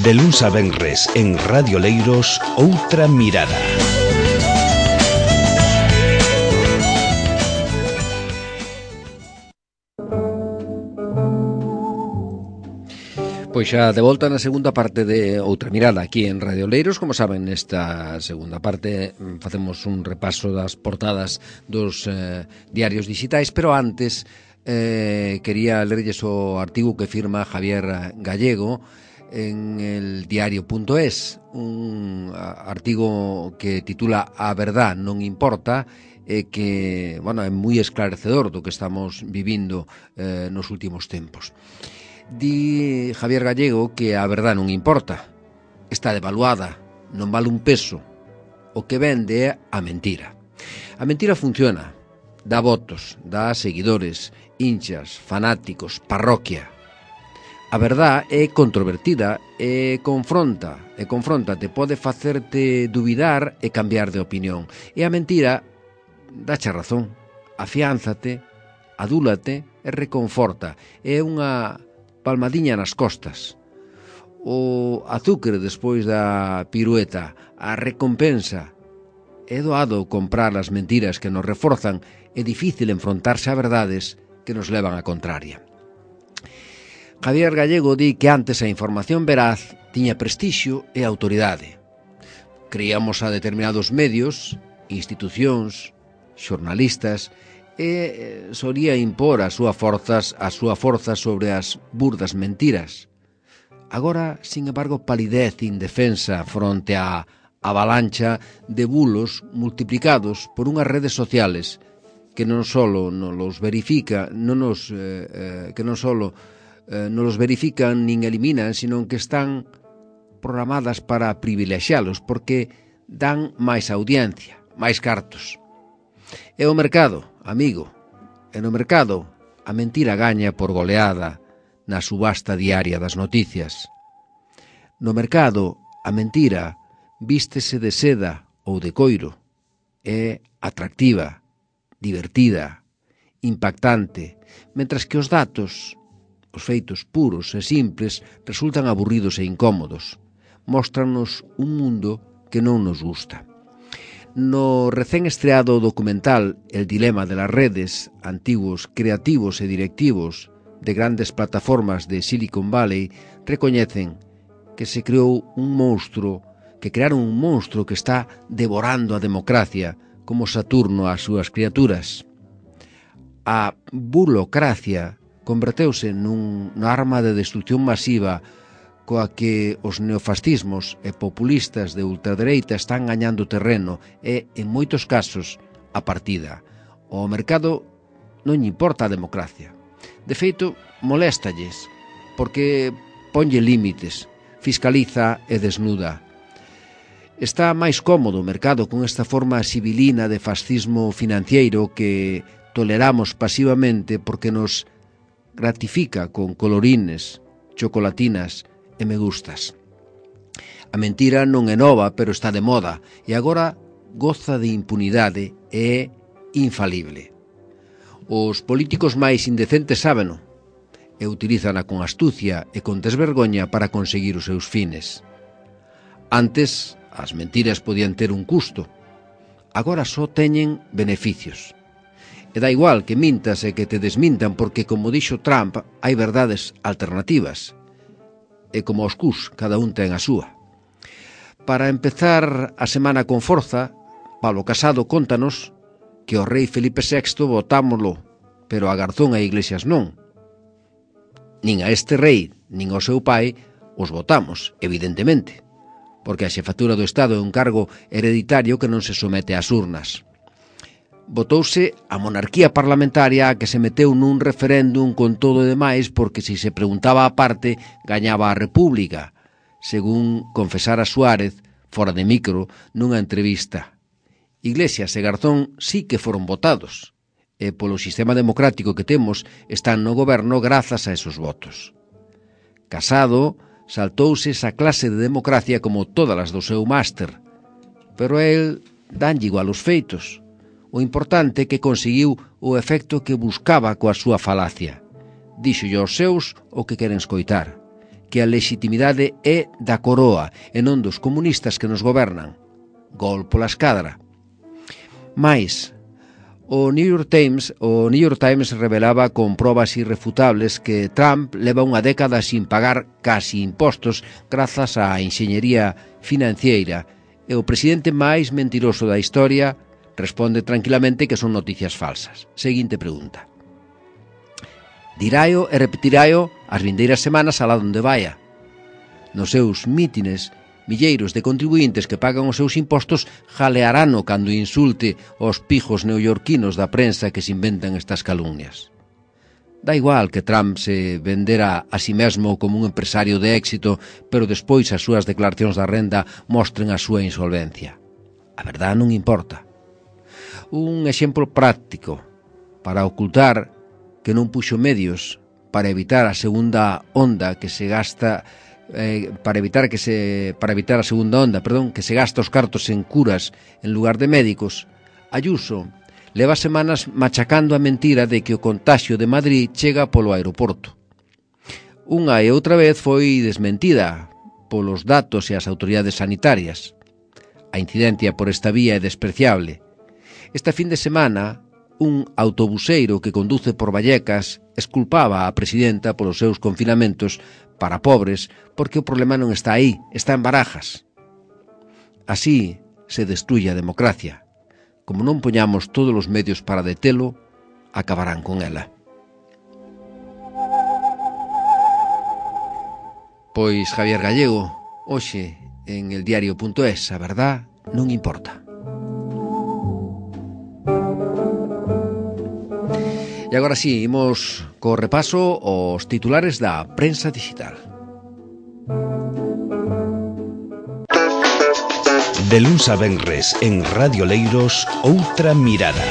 De luns a venres en Radio Leiros, Outra Mirada. Pois xa de volta na segunda parte de Outra Mirada aquí en Radio Leiros. Como saben, nesta segunda parte facemos un repaso das portadas dos diarios digitais, pero antes quería lerlles o artigo que firma Javier Gallego en el diario.es, un artigo que titula A verdad non importa, que, bueno, é moi esclarecedor do que estamos vivindo nos últimos tempos. Di Javier Gallego que a verdad non importa, está devaluada, non vale un peso, o que vende é a mentira. A mentira funciona, dá votos, dá seguidores, hinchas, fanáticos, parroquia. A verdad é controvertida e confrontate, pode facerte dubidar e cambiar de opinión. E a mentira dáche razón, afiánzate, adúlate e reconforta. É unha palmadiña nas costas. O azúcar despois da pirueta, a recompensa. É doado comprar as mentiras que nos reforzan, é difícil enfrontarse a verdades que nos levan a contraria. Javier Gallego di que antes a información veraz tiña prestixio e autoridade. Creíamos a determinados medios, institucións, xornalistas, e solía impor a súa forza sobre as burdas mentiras. Agora, sin embargo, palidez indefensa fronte á avalancha de bulos multiplicados por unhas redes sociales que non só nos verifican nin eliminan, sino que están programadas para privilexialos, porque dan máis audiencia, máis cartos. E o mercado, amigo, e no mercado a mentira gaña por goleada na subasta diaria das noticias. No mercado a mentira vístese de seda ou de coiro, é atractiva, divertida, impactante, mentras que os datos, os feitos puros e simples, resultan aburridos e incómodos. Móstranos un mundo que non nos gusta. No recén estreado documental El dilema de las redes, antiguos creativos e directivos de grandes plataformas de Silicon Valley recoñecen que se creou crearon un monstro que está devorando a democracia como Saturno ás súas criaturas. A bulocracia converteuse nunha arma de destrucción masiva coa que os neofascismos e populistas de ultradereita están gañando terreno e, en moitos casos, a partida. O mercado non lle importa a democracia. De feito, moléstalles, porque ponlle límites, fiscaliza e desnuda. Está máis cómodo o mercado con esta forma sibilina de fascismo financiero que toleramos pasivamente porque nos gratifica con colorines, chocolatinas e me gustas. A mentira non é nova, pero está de moda e agora goza de impunidade e é infalible. Os políticos máis indecentes sábeno e utilízana con astucia e con desvergoña para conseguir os seus fines. Antes, as mentiras podían ter un custo. Agora só teñen beneficios. E dá igual que mintas e que te desmintan porque, como dixo Trump, hai verdades alternativas. E como os cus, cada un ten a súa. Para empezar a semana con forza, Pablo Casado contanos que o rei Felipe VI votámoslo, pero a Garzón e Iglesias non. Nin a este rei, nin ao seu pai, os votamos, evidentemente, porque a xefatura do Estado é un cargo hereditario que non se somete ás urnas. Votouse a monarquía parlamentaria a que se meteu nun referéndum con todo e demais porque se preguntaba a parte gañaba a República, según confesara Suárez fora de micro nunha entrevista. Iglesias e Garzón sí que foron votados e polo sistema democrático que temos están no goberno grazas a esos votos. Casado saltouse esa clase de democracia como todas as do seu máster, pero a el danlle igual os feitos. O importante é que conseguiu o efecto que buscaba coa súa falacia. Díxolle aos seus o que queren escoitar, que a legitimidade é da coroa e non dos comunistas que nos gobernan. Gol pola escadra. Mais, o New York Times revelaba con probas irrefutables que Trump leva unha década sin pagar casi impostos grazas á enxeñería financiera e o presidente máis mentiroso da historia responde tranquilamente que son noticias falsas. Seguinte pregunta. Diraio e repetiráio as vindeiras semanas alá donde vaya. Nos seus mítines, milleiros de contribuintes que pagan os seus impostos jalearano cando insulte os pijos neoyorquinos da prensa que se inventan estas calumnias. Da igual que Trump se vendera a si mesmo como un empresario de éxito, pero despois as súas declaracións da renda mostren a súa insolvencia. A verdade non importa. Un exemplo práctico para ocultar que non puxo medios para evitar a segunda onda que se gasta para evitar a segunda onda, que se gasta os cartos en curas en lugar de médicos. Ayuso leva semanas machacando a mentira de que o contaxio de Madrid chega polo aeroporto. Unha e outra vez foi desmentida polos datos e as autoridades sanitarias. A incidencia por esta vía é despreciable. Esta fin de semana, un autobuseiro que conduce por Vallecas exculpaba a presidenta polos seus confinamentos para pobres porque o problema non está aí, está en Barajas. Así se destruye a democracia. Como non poñamos todos os medios para detelo, acabarán con ela. Pois Javier Gallego, hoxe en eldiario.es, a verdad non importa. E agora sí, imos co repaso aos titulares da prensa digital. De luns a venres en Radio Leiros, outra mirada.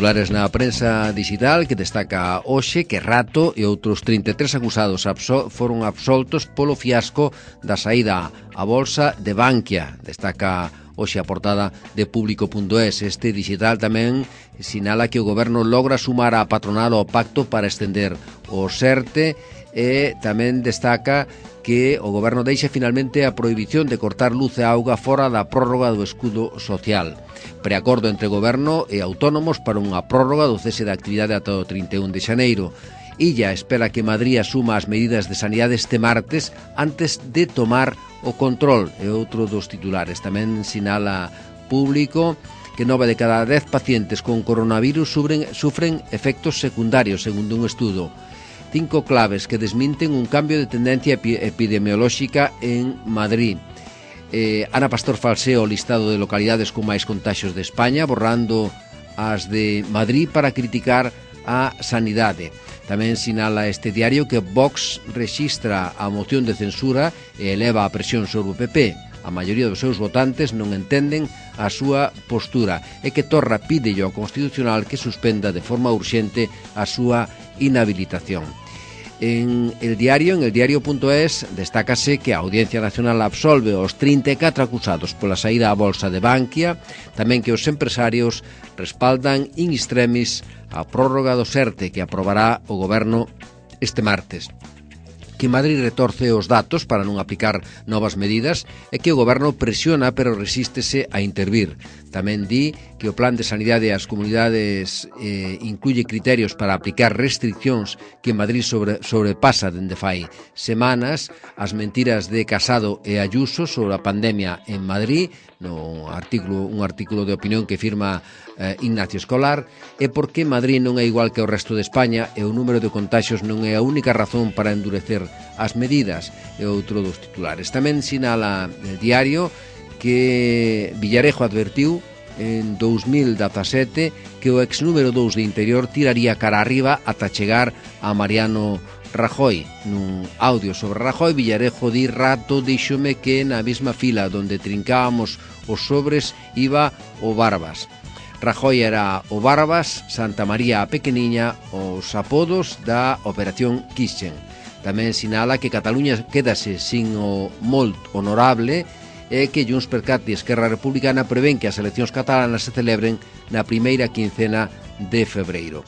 Titulares na prensa digital que destaca hoxe que Rato e outros 33 acusados foron absoltos polo fiasco da saída á bolsa de Bankia. Destaca hoxe a portada de Público.es. Este digital tamén sinala que o goberno logra sumar a patronal ao pacto para estender o SERTE e tamén destaca que o goberno deixa finalmente a prohibición de cortar luz e auga fora da prórroga do escudo social. Preacordo entre goberno e autónomos para unha prórroga do cese da actividade ata o 31 de xaneiro. Illa espera que Madrid asuma as medidas de sanidade este martes antes de tomar o control. E outro dos titulares tamén sinala Público que 9 de cada 10 pacientes con coronavirus sufren efectos secundarios, segundo un estudo. 5 claves que desminten un cambio de tendencia epidemiolóxica en Madrid. Ana Pastor falsea o listado de localidades con máis contaxios de España, borrando as de Madrid para criticar a sanidade. Tamén sinala este diario que Vox rexistra a moción de censura e eleva a presión sobre o PP. A maioría dos seus votantes non entenden a súa postura e que Torra pídelle ao Constitucional que suspenda de forma urxente a súa inhabilitación. En eldiario.es destácase que a Audiencia Nacional absolve os 34 acusados pola saída á bolsa de Bankia, tamén que os empresarios respaldan in extremis a prórroga do SERTE que aprobará o goberno este martes. Que Madrid retorce os datos para non aplicar novas medidas e que o goberno presiona pero resístese a intervir. Tamén di que o plan de sanidade ás comunidades incluye criterios para aplicar restriccións que Madrid sobrepasa dende fai semanas. As mentiras de Casado e Ayuso sobre a pandemia en Madrid, un artículo de opinión que firma Ignacio Escolar, e porque Madrid non é igual que o resto de España e o número de contaxios non é a única razón para endurecer as medidas, é outro dos titulares. Tamén sinala el diario que Villarejo advertiu en 2017 que o ex número 2 de Interior tiraría cara arriba ata chegar a Mariano Rajoy. Nun audio sobre Rajoy, Villarejo di: Rato díxome que na mesma fila donde trincábamos os sobres iba o Barbas. Rajoy era o Barbas, Santa María a Pequeniña, os apodos da Operación Kitchen. Tamén sinala que Cataluña quédase sin o molt honorable é que Junts per Cat e Esquerra Republicana prevén que as eleccións catalanas se celebren na primeira quincena de febreiro.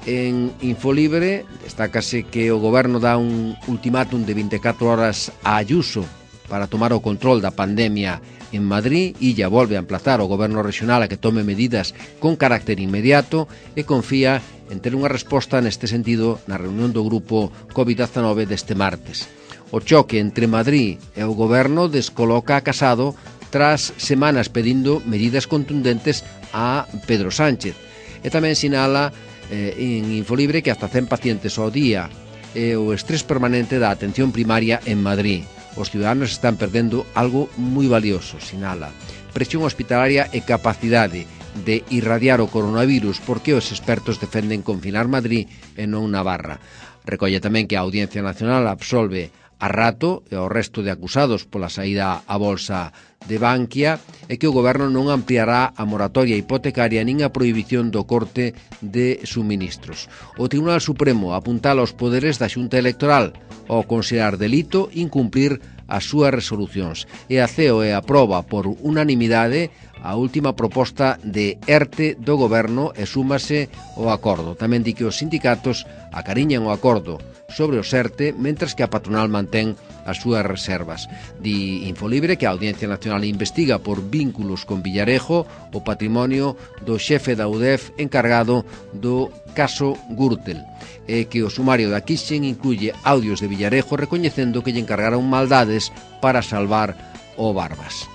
En Infolibre destácase que o goberno dá un ultimátum de 24 horas a Ayuso para tomar o control da pandemia en Madrid. Illa volve a emplazar o goberno regional a que tome medidas con carácter inmediato e confía en ter unha resposta neste sentido na reunión do grupo COVID-19 deste martes. O choque entre Madrid e o goberno descoloca a Casado tras semanas pedindo medidas contundentes a Pedro Sánchez. E tamén sinala en Infolibre que hasta 100 pacientes ao día e o estrés permanente da atención primaria en Madrid. Os ciudadanos están perdendo algo moi valioso, sinala. Presión hospitalaria e capacidade de irradiar o coronavirus porque os expertos defenden confinar Madrid e non Navarra. Recolle tamén que a Audiencia Nacional absolve a Rato e ao resto de acusados pola saída á bolsa de Bankia e que o goberno non ampliará a moratoria hipotecaria nin a prohibición do corte de suministros. O Tribunal Supremo apuntala os poderes da Xunta Electoral ao considerar delito incumplir as súas resolucións e a CEOE aproba por unanimidade a última proposta de ERTE do goberno e súmase ao acordo. Tamén di que os sindicatos acariñan o acordo sobre o ERTE, mentras que a patronal mantén as súas reservas. Di Infolibre que a Audiencia Nacional investiga por vínculos con Villarejo o patrimonio do xefe da UDEF encargado do caso Gürtel e que o sumario da Kixen incluye audios de Villarejo recoñecendo que lle encargaron maldades para salvar o Barbas.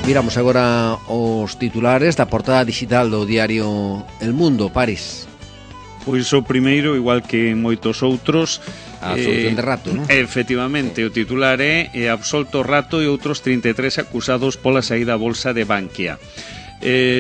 Miramos agora os titulares da portada digital do diario El Mundo, París. Pois o primeiro, igual que moitos outros, a absolución de Rato, non? Efectivamente, o titular é absolto Rato e outros 33 acusados pola saída á bolsa de Bankia.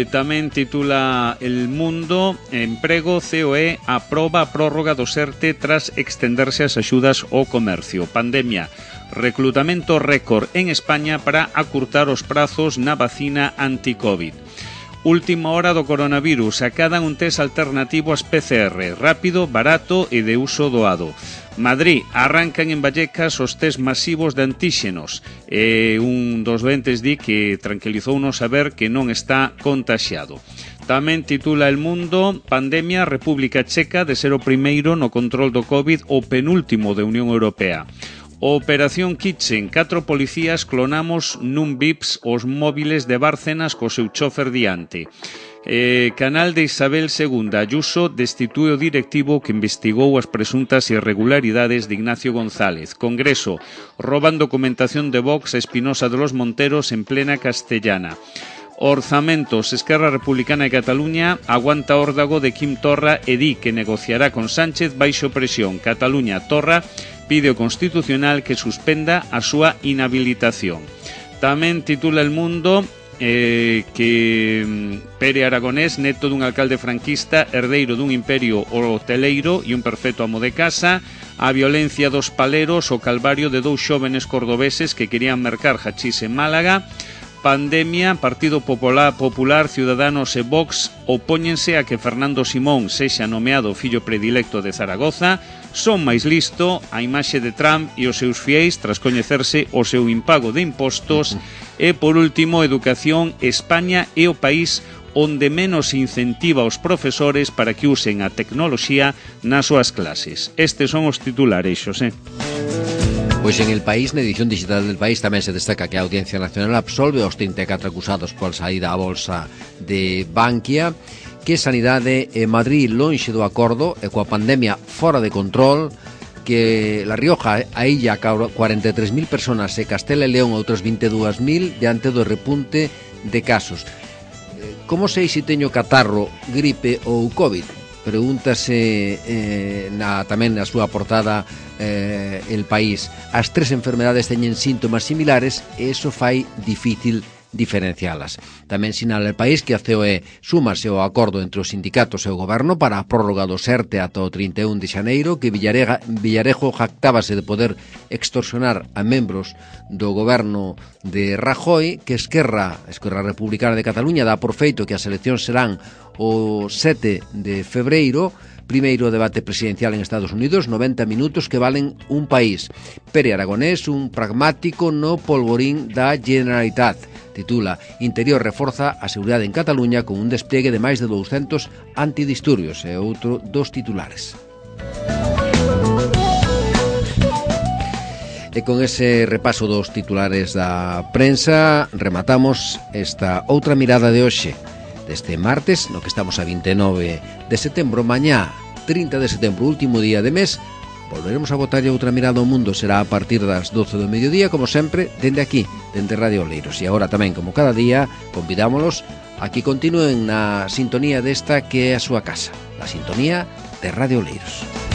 Tamén titula El Mundo, emprego, COE aproba a prórroga do ERTE tras extenderse as axudas ao comercio. Pandemia, reclutamento récord en España para acurtar os prazos na vacina anti-COVID. Última hora do coronavirus, acadan un test alternativo ás PCR, rápido, barato e de uso doado. Madrid, arrancan en Vallecas os test masivos de antíxenos. Un dos doentes di que tranquilizounos saber que non está contaxiado. Tamén titula El Mundo, pandemia, República Checa de ser o primeiro no control do COVID o penúltimo de Unión Europea. Operación Kitchen, 4 policías clonamos nun VIPs os móviles de Bárcenas co seu chofer diante. Canal de Isabel II, Ayuso destitue o directivo que investigou as presuntas irregularidades de Ignacio González. Congreso, roban documentación de Vox a Espinosa de los Monteros en plena Castellana. Orzamentos, Esquerra Republicana de Cataluña aguanta órdago de Quim Torra e di que negociará con Sánchez baixo presión. Cataluña, Torra pide ao Constitucional que suspenda a súa inhabilitación. Tamén titula El Mundo que Pere Aragonés, neto dun alcalde franquista, herdeiro dun imperio hoteleiro e un perfecto amo de casa, a violencia dos paleros, o calvario de 2 xóvenes cordobeses que querían mercar hachís en Málaga. Pandemia, Partido Popular, Ciudadanos e Vox opóñense a que Fernando Simón sexa nomeado fillo predilecto de Zaragoza. Son máis listo a imaxe de Trump e os seus fiéis tras coñecerse o seu impago de impostos. E, por último, Educación, España é o país onde menos incentiva aos profesores para que usen a tecnoloxía nas súas clases. Estes son os titulares, Xosé. Pois en El País, na edición digital del País, tamén se destaca que a Audiencia Nacional absolve aos 34 acusados pola saída á bolsa de Bankia, que Sanidade e Madrid lonxe do acordo e coa pandemia fora de control, que La Rioja, a illa, 43.000 personas e Castela e León outras 22.000 diante do repunte de casos. Como sei se teño catarro, gripe ou COVID? Pregúntase tamén na súa portada El País. As 3 enfermedades teñen síntomas similares e iso fai difícil diferencialas. Tamén sinala El País que a COE súmase ao acordo entre os sindicatos e o goberno para a prórroga do ERTE ata o 31 de xaneiro, que Villarejo jactábase de poder extorsionar a membros do goberno de Rajoy, que Esquerra Republicana de Cataluña dá por feito que as eleccións serán o 7 de febreiro, Primeiro debate presidencial en Estados Unidos, 90 minutos que valen un país. Pere Aragonés, un pragmático no polvorín da Generalitat. Titula Interior reforza a seguridade en Cataluña con un despliegue de máis de 200 antidisturbios. É outro dos titulares. E con ese repaso dos titulares da prensa rematamos esta outra mirada de hoxe deste martes, no que estamos a 29 de setembro. Mañá, 30 de setembro, último día de mes, volveremos a botarlle outra mirada ao mundo. Será a partir das 12 do mediodía, como sempre, dende aquí, dende Radio Oleiros. E agora tamén, como cada día, convidámolos a que continúen na sintonía desta que é a súa casa, a sintonía de Radio Oleiros.